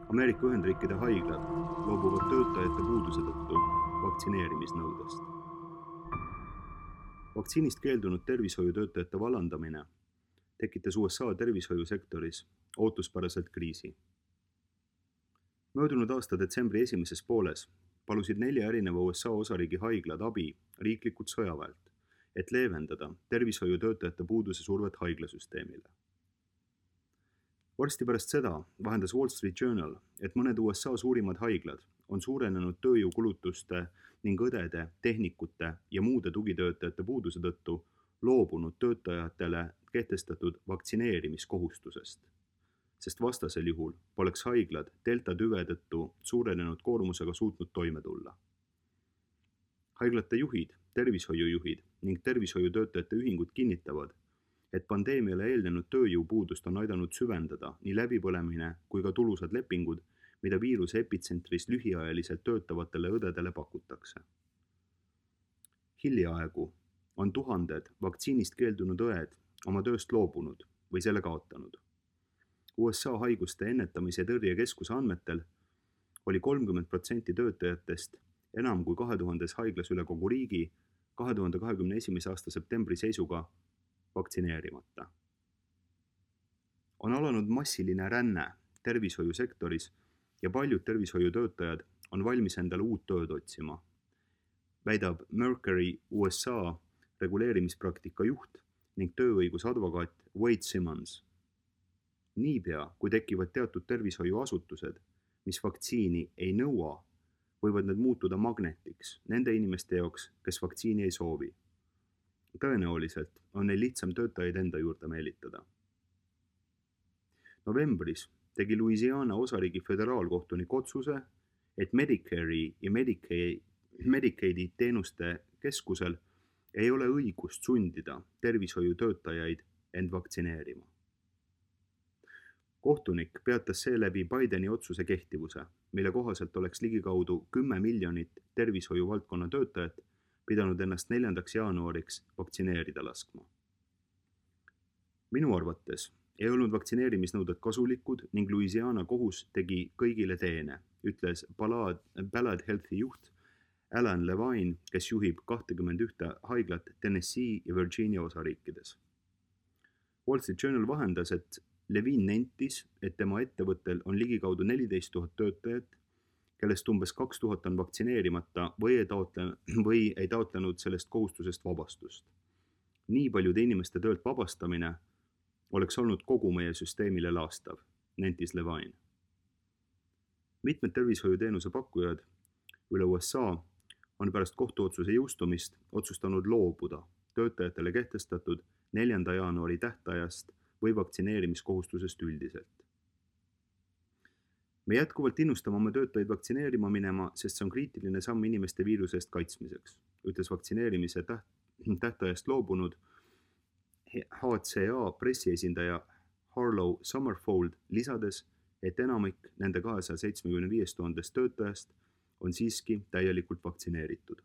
Ameerika Ühendriikide haiglad loobuvad töötajate puuduse tõttu vaktsineerimisnõudest. Vaktsiinist keeldunud tervishoiutöötajate vallandamine tekitas USA tervishoiusektoris ootuspäraselt kriisi. Möödunud aasta detsembri esimeses pooles palusid 4 erineva USA osariigi haiglad abi riiklikult sõjaväelt, et leevendada tervishoiutöötajate puuduse survet haiglasüsteemile. Varsti pärast seda vahendas Wall Street Journal, et mõned USA suurimad haiglad on suurenenud tööjõukulutuste ning õdede, tehnikute ja muude tugitöötajate puuduse tõttu loobunud töötajatele kehtestatud vaktsineerimiskohustusest, sest vastasel juhul poleks haiglad delta tüve tõttu suurenenud koormusega suutnud toime tulla. Haiglate juhid, tervishoiujuhid ning tervishoiutöötajate ühingud kinnitavad, et pandeemiale eelnenud tööjõupuudust on aidanud süvendada nii läbipõlemine kui ka tulusad lepingud, mida viiruse epitsentris lühiajaliselt töötavatele õdedele pakutakse. Hiljaaegu on tuhanded vaktsiinist keeldunud õed oma tööst loobunud või selle kaotanud. USA haiguste ennetamise ja tõrje keskuse andmetel oli 30% töötajatest enam kui 2000 haiglas üle kogu riigi 2021. aasta septembri seisuga vaktsineerimata. On alanud massiline ränne tervishoiusektoris ja paljud tervishoiutöötajad on valmis endale uut tööd otsima, väidab Mercury USA reguleerimispraktika juht ning tööõigusadvokaat Wade Simmons. Niipea, kui tekivad teatud tervishoiuasutused, mis vaktsiini ei nõua, võivad need muutuda magnetiks nende inimeste jaoks, kes vaktsiini ei soovi. Tõenäoliselt on neil lihtsam töötajaid enda juurde meelitada. Novembris tegi Louisiana osariigi föderaalkohtunik otsuse, et Medicare'i ja Medicaidi teenuste keskusel ei ole õigust sundida tervishoiutöötajaid end vaktsineerima. Kohtunik peatas seeläbi Bideni otsuse kehtivuse, mille kohaselt oleks ligikaudu 10 miljonit tervishoiuvaldkonna töötajat pidanud ennast 4. jaanuariks vaktsineerida laskma. Minu arvates ei olnud vaktsineerimisnõuded kasulikud ning Louisiana kohus tegi kõigile teene, ütles Ballad Healthi juht Alan Levine, kes juhib 21 haiglat Tennessee ja Virginia osariikides. Wall Street Journal vahendas, et Levine nentis, et tema ettevõttel on ligikaudu 14 000 töötajat, kellest umbes 2000 on vaktsineerimata või ei taotlenud sellest kohustusest vabastust. Nii paljude inimeste töölt vabastamine oleks olnud kogu meie süsteemile laastav, nentis Levine. Mitmed tervishoiuteenuse pakkujad üle USA on pärast kohtuotsuse jõustumist otsustanud loobuda töötajatele kehtestatud 4. jaanuari tähtajast või vaktsineerimiskohustusest üldiselt. Me jätkuvalt innustame oma töötajaid vaktsineerima minema, sest see on kriitiline samm inimeste viiruse eest kaitsmiseks, ütles vaktsineerimise tähtajast loobunud HCA pressiesindaja Harlow Summerfold, lisades, et enamik nende 275 000 töötajast on siiski täielikult vaktsineeritud.